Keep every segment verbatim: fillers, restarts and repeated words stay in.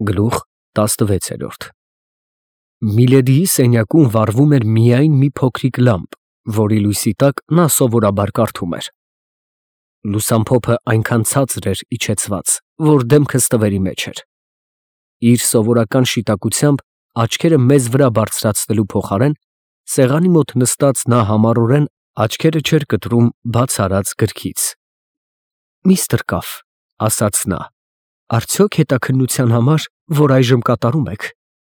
Գլուխ տասնվեց։ Միլեդիի սենյակում վառվում էր միայն մի փոքրիկ լամպ, որի լույսի տակ նա սովորաբար կարդում էր։ Լուսամփոփը այնքան ցածր էր իջեցված, որ դեմքը ստվերի մեջ էր։ Իր սովորական շիտակությամբ աչքերը մեզ վրա բարձրացնելու փոխարեն, սեղանի մոտ նստած նա համառորեն աչքերը չէր կտրում բաց արած գրքից։ «Միստր Կաֆ», ասաց նա, «արդյոք հետաքննության համար, որ այժմ կատարում եք,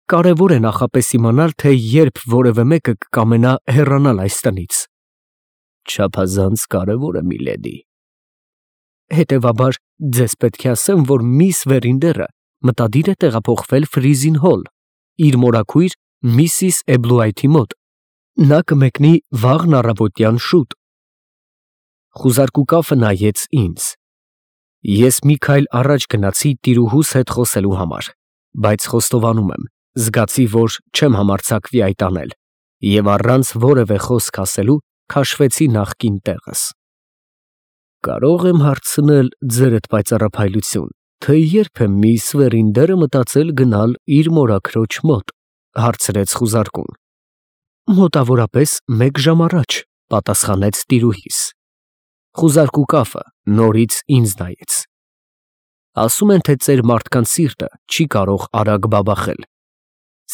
կարևոր է նախապես իմանալ, թե երբ որևէ մեկը կկամենա հեռանալ այս տնից»։ «Չափազանց կարևոր է, միլեդի»։ «Հետևաբար, ձեզ պետք է ասեմ, որ միս Վերինդերը մտադիր է տեղափոխվել Ֆրիզին Հոլ, իր մորաքույր միսիս Էբլուայթի մոտ։ Նա կմեկնի վաղն առավոտյան շուտ»։ Խուզարկու կաֆը նայեց ինձ։ Ես մի քայլ առաջ գնացի տիրուհուս հետ խոսելու համար, բայց խոստովանում եմ, զգացի, որ չեմ համարձակվի այդ անել, և առանց որևէ խոսք ասելու քաշվեցի նախկին տեղս։ «Կարո՞ղ եմ հարցնել, ձերդ պայծառափայլություն, թե երբ է միս Վերինդերը մտածել գնալ իր մորաքրոջ մոտ», հարցրեց խուզարկուն։ «Մոտավորապես մեկ ժամ առաջ», պատասխանեց տիրուհիս։ Խուզարկու կաֆը նորից ինձ նայեց։ «Ասում են, թե ծեր մարդկանց սիրտը չի կարող արագ բաբախել։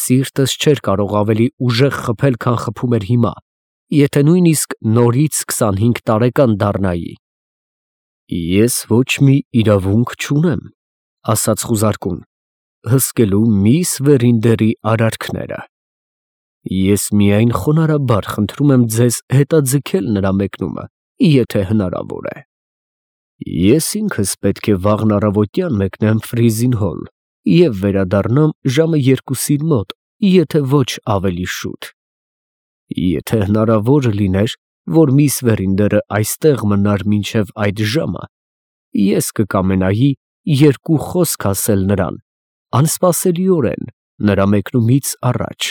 Սիրտս չէր կարող ավելի ուժեղ խփել, քան խփում էր հիմա, եթե նույնիսկ նորից քսանհինգ տարեկան դառնայի»։ «Ես ոչ մի իրավունք չունեմ», ասաց խուզարկուն, «հսկելու միս Վերինդերի արարքները։ Ես միայն խոնարհաբար խնդրում եմ ձեզ հետաձգել նրա մեկնումը, եթե հնարավոր է։ Ես ինքս պետք է վաղն առավոտյան մեկնեմ Ֆրիզին Հոլ և վերադառնամ ժամը երկուսին մոտ, եթե ոչ ավելի շուտ։ Եթե հնարավոր լիներ, որ միս Վերինդերը այստեղ մնար մինչև այդ ժամը, ես կկամենայի երկու խոսք ասել նրան, անսպասելիորեն, նրա մեկնումից առաջ»։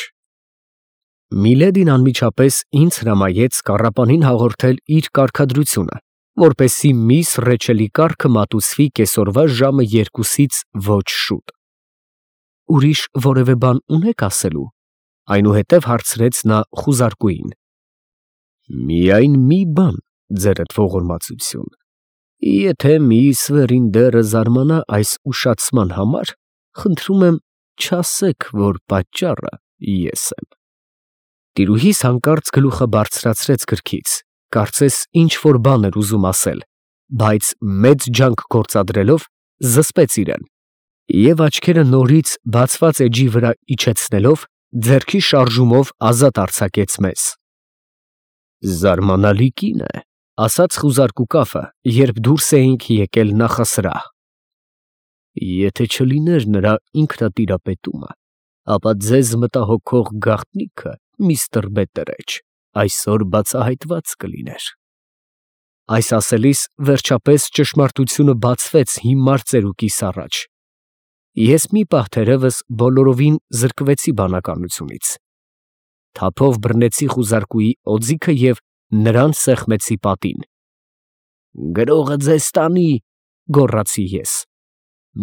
Միլեդին անմիջապես ինձ հրամայեց կառապանին հաղորդել իր կարգադրությունը, որպեսզի միս Ռեչելի կառքը մատուցվի կեսօրվա ժամը երկուսից ոչ շուտ։ «Ուրիշ որևէ բան ունե՞ք ասելու», այնուհետև հարցրեց նա խուզարկուին։ «Միայն մի բան, ձերդ ողորմածություն, եթե միս Վերինդերը զարմանա այս ուշացման համար, խնդրում եմ չասեք, որ պատճառը ես եմ»։ Տիրուհիս հանկարծ գլուխը բարձրացրեց գրքից, կարծես ինչ֊որ բան էր ուզում ասել, բայց մեծ ջանք գործադրելով զսպեց իրեն և աչքերը նորից բացված էջի վրա իջեցնելով, ձեռքի շարժումով ազատ արձակեց մեզ։ «Զարմանալի կին է», ասաց խուզարկու կաֆը, երբ դուրս էինք եկել նախասրահ։ «Եթե չլիներ նրա ինքնատիրապետումը, ապա ձեզ մտահոգող գաղտնիքը, միստր Բետտերեջ, այսօր բացահայտված կլիներ»։ Այս ասելիս վերջապես ճշմարտությունը բացվեց հիմար ծերուկիս առաջ։ Ես մի պահ թերևս բոլորովին զրկվեցի բանականությունից։ Թափով բռնեցի խուզարկուի օձիքը և նրան սեղմեցի պատին։ «Գրողը ձեզ տանի», գոռացի ես։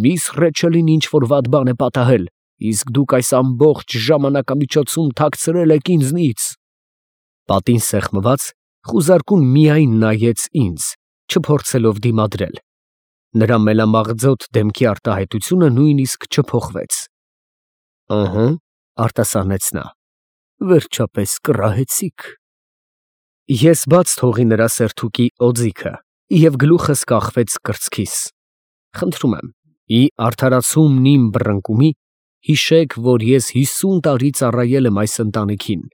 «Միս Ռեչելին ինչ֊որ վատ բան է պատահել, իսկ դուք այս ամբողջ ժամանակամիջոցում թաքցրել եք ինձնից»։ Պատին սեղմված, խուզարկուն միայն նայեց ինձ, չփորձելով դիմադրել։ Նրա մելամաղձոտ դեմքի արտահայտությունը նույնիսկ չփոխվեց։ «Ըհը», արտասանեց նա, «վերջապես կռահեցիք»։ Ես բաց թողի նրա սերթուկի օձիքը և գլուխս կախվեց կրծքիս։ «Խնդրում եմ, ի արդարացումն իմ բռնկումի, հիշեք, որ ես հիսուն տարի ծառայել եմ այս ընտանիքին»։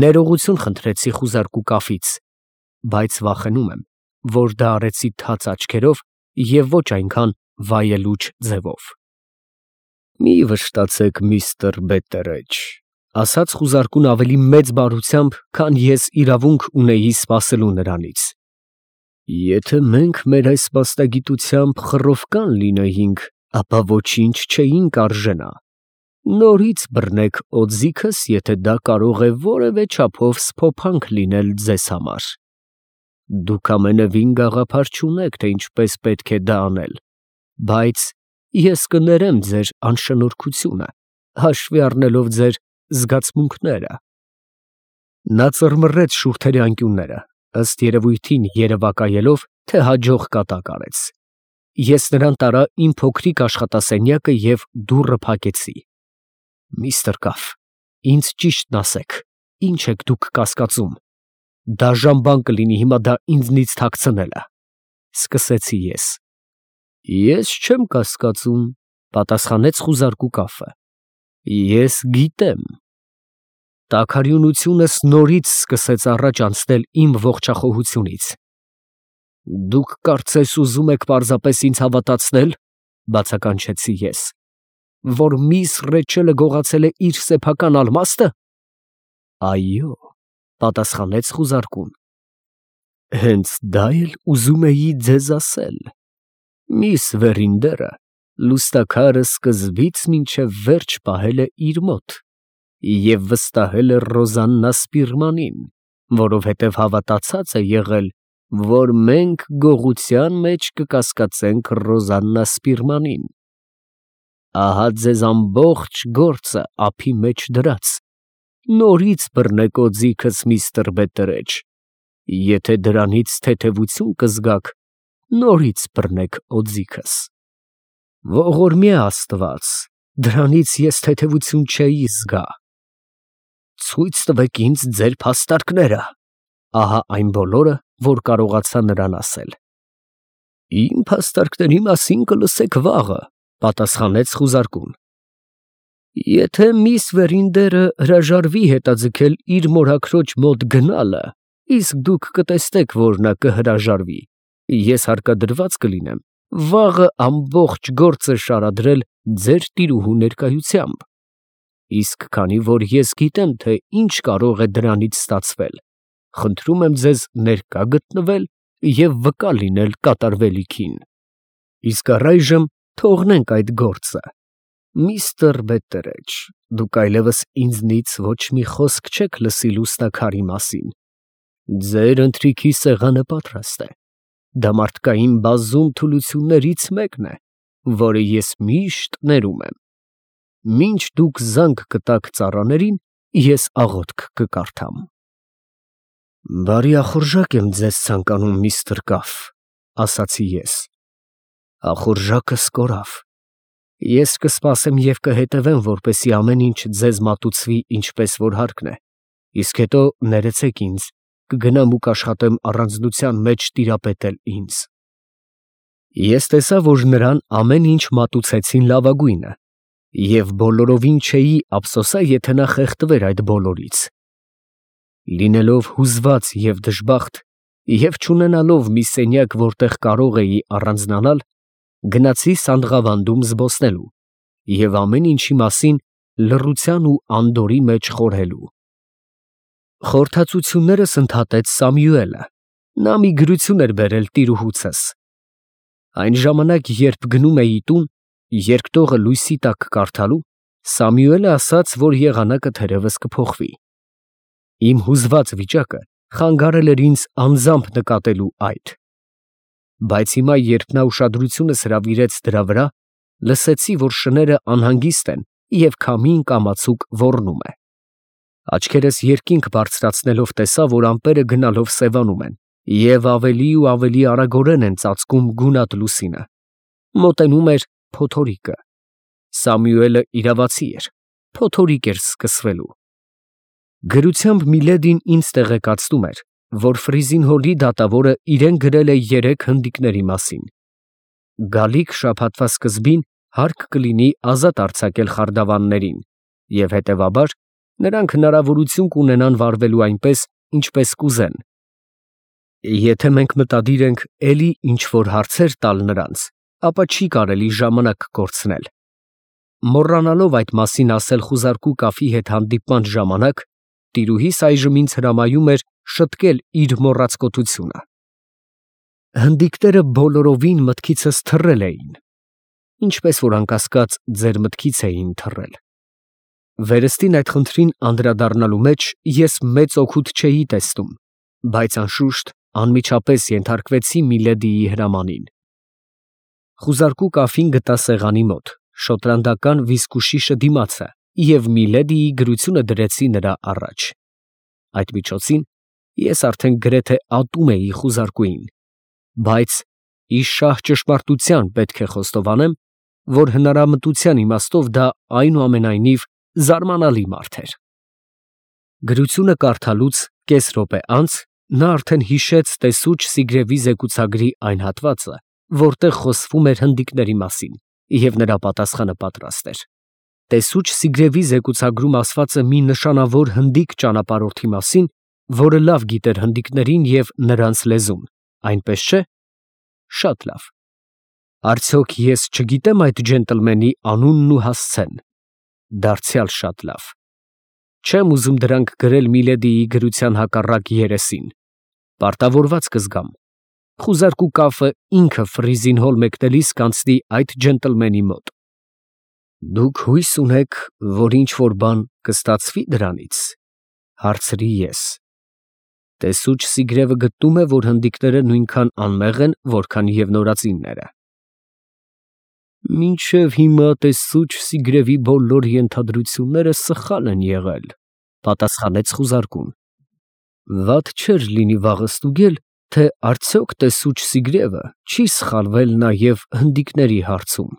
Ներողություն խնդրեցի խուզարկու կաֆից, բայց վախենում եմ, որ դա արեցի թաց աչքերով և ոչ այնքան վայելուչ ձևով։ «Մի վշտացեք, միստր Բետտերեջ», ասաց խուզարկուն ավելի մեծ բարությամբ, քան ես իրավունք ունեի սպասելու նրանից։ «Եթե մենք մեր այս մասնագիտությամբ խռովկան լինեինք, ապա ոչինչ չէինք արժենա։ Նորից բռնեք օձիքս, եթե դա կարող է որևէ չափով սփոփանք լինել ձեզ համար։ Դուք ամենևին գաղափար չունեք, թե ինչպես պետք է դա անել, բայց ես կներեմ ձեր անշնորհքությունը, հաշվի առնելով ձեր զգացմունքները։ Նա ծռմռեց շուրթերի անկյունները, ըստ երևույթին երևակայելով, թե հաջող կատակ արեց։ Ես նրան տարա իմ փոքրիկ աշխատասենյակը և դուռը փակեցի։ Միստր Կաֆ, ինձ ճիշտն ասեք, ինչ եք դուք կասկածում։ Դաժան բան կլինի հիմա դա ինձնից թաքցնելը, սկսեցի ես։ Ես չեմ կասկածում, պատասխանեց խուզարկու Կաֆը։ Ես գիտեմ։ Տաքարյունությունս նորից սկսեց առաջ անցնել իմ ողջախոհությունից։ Դուք կարծես ուզում եք պարզապես ինձ հավատացնել, բացականչեցի ես, որ միս Ռեչելը գողացել է իր սեփական ալմաստը։ Այո, պատասխանեց խուզարկուն։ Հենց դա էլ ուզում էի ձեզ ասել։ Միս Վերինդերը լուստաքարը սկզբից մինչև վերջ պահել է իր մոտ և վստահել է Ռոզաննա Սպիրմանին, որովհետև հավատացած է եղել, որ մենք գողության մեջ կկասկածենք Ռոզաննա Սպիրմանին։ Ահա ձեզ ամբողջ գործը ափի մեջ դրած, նորից բռնեք օձիքս, միստր Բետերեջ, եթե դրանից թեթևություն կզգաք, նորից բռնեք օձիքս։ Ողորմյա Աստված, դրանից ես թեթևություն չէի զգա։ Ցույց տվեք ինձ ձեր փաստարկները, ահա այն բոլորը, որ կարողացա նրան ասել։ Իմ փաստարկների մասին կլսեք վաղը, պատասխանեց խուզարկուն։ Եթե միս Վերինդերը հրաժարվի հետաձգել իր մորաքրոջ մոտ գնալը, իսկ դուք կտեսնեք, որ նա կհրաժարվի, ես հարկադրված կլինեմ վաղը ամբողջ գործը շարադրել ձեր տիրուհու ներկայությամբ, իսկ քանի որ ես գիտեմ, թե ինչ կարող է դրանից ստացվել, խնդրում եմ ձեզ ներկա գտնվել և վկա լինել կատարվելիքին։ Իսկ առայժմ թողնենք այդ գործը։ Միստր Բետերեջ, դուք այլևս ինձնից ոչ մի խոսք չեք լսի լուսնակարի մասին։ Ձեր ընթրիքի սեղանը պատրաստ է։ Դա մարդկային բազում թուլություններից մեկն է, որը ես միշտ ներում եմ։ Մինչ դուք զանգ կտաք ծառաներին, ես աղոթք կկարդամ։ Բարի ախորժակ եմ ձեզ ցանկանում, միստր Կաֆ, ասացի ես։ Ախորժակս կորավ։ Ես կսպասեմ և կհետևեմ, որպեսզի ամեն ինչ ձեզ մատուցվի ինչպես որ հարկն է, իսկ հետո ներեցեք ինձ, կգնամ ու կաշխատեմ առանձնության մեջ տիրապետել ինձ։ Ես տեսա, որ նրան ամեն ինչ մատուցեցին լավագույնը, և բոլորովին չէի ափսոսա, եթե նա խեղդվեր այդ բոլորից։ Լինելով հուզված և դժբախտ և չունենալով մի սենյակ, որտեղ կարող էի առանձնանալ, գնացի Սանդղավանդում զբոսնելու և ամեն ինչի մասին լռության ու անդորրի մեջ խորհելու։ Խորհրդածություններս ընդհատեց Սամյուելը, նա մի գրություն էր բերել տիրուհուցուս։ Այն ժամանակ, երբ գնում էի տուն, երկտողը լույսի տակ կարդալու, Սամյուելը ասաց, որ եղանակը թերևս կփոխվի։ Իմ հուզված վիճակը խանգարել էր ինձ անձամբ նկատելու այդ։ Բայց հիմա, երբ նա ուշադրությունս հրավիրեց դրա վրա, լսեցի, որ շները անհանգիստ են և քամին կամացուկ ոռնում է։ Աչքերս երկինք բարձրացնելով տեսա, որ ամպերը գնալով սևանում են և ավելի ու ավելի արագորեն են ծածկում գունատ լուսինը։ Մոտենում էր փոթորիկը։ Սամյուելը իրավացի էր, փոթորիկ էր սկսվելու։ Գրությամբ Միլեդին ինձ տեղեկացնում էր, որ Ֆրիզինհոլի դատավորը իրեն գրել է երեք հնդիկների մասին։ Գալիք շաբաթվա սկզբին հարկ կլինի ազատ արձակել խարդավաններին, և հետևաբար նրանք հնարավորություն կունենան վարվելու այնպես, ինչպես կուզեն։ Եթե մենք մտադիր ենք էլի ինչ-որ հարցեր տալ նրանց, ապա չի կարելի ժամանակ կորցնել։ Մոռանալով այդ մասին ասել խուզարկու Կաֆի հետ հանդիպման ժամանակ, տիրուհիս այժմ ինձ հրամայում էր շտկել իր մոռացկոտությունը։ Հնդիկները բոլորովին մտքիցս թռել էին, ինչպես որ անկասկած ձեր մտքից էին թռել։ Վերստին այդ խնդրին անդրադառնալու մեջ ես մեծ օգուտ չէի տեսնում, բայց անշուշտ անմիջապես ենթարկվեցի Միլեդիի հրամանին։ Խուզարկու կաֆին գտա սեղանի մոտ, շոտլանդական վիսկուշիշը դիմացը և Միլեդիի գրությունը դրեցի նրա առաջ։ Այդ միջոցին ես արդեն գրեթե ատում էի խուզարկուին, բայց ի շահ ճշմարտության պետք է խոստովանեմ, որ հնարամտության իմաստով դա այնուամենայնիվ զարմանալի մարդ էր։ Գրությունը կարդալուց կես րոպե անց նա արդեն հիշեց տեսուչ Սիգրևի զեկուցագրի այն հատվածը, որտեղ խոսվում էր հնդիկների մասին, և նրա պատասխանը պատրաստ էր։ Տեսուչ Սիգրևի զեկուցագրում ասվածը մի նշանավոր հնդիկ ճանապարհորդի մասին, որը լավ գիտեր հնդիկներին և նրանց լեզուն, այնպես չէ՞։ Շատ լավ։ Արդյոք ես չգիտեմ այդ ջենտլմենի անունն ու հասցեն։ Դարձյալ շատ լավ։ Չեմ ուզում դրանք գրել Միլեդիի գրության հակառակ երեսին։ Պարտավորված կզգամ։ Խուզարկու կաֆը ինքը Ֆրիզին հոլ մեկնելիս կանցնի այդ ջենտլմենի մոտ։ Դուք հույս ունեք, որ ինչ֊որ բան կստացվի դրանից, հարցրի ես։ Տեսուչ Սիգրևը գտնում է, որ հնդիկները նույնքան անմեղ են, որքան և նորածինները։ Մինչև հիմա տեսուչ Սիգրևի բոլոր ենթադրությունները սխալ են եղել, պատասխանեց խուզարկուն։ Վատ չէր լինի վաղը ստուգել, թե արդյոք տեսուչ Սիգրևը չի սխալվել նաև հնդիկների հարցում։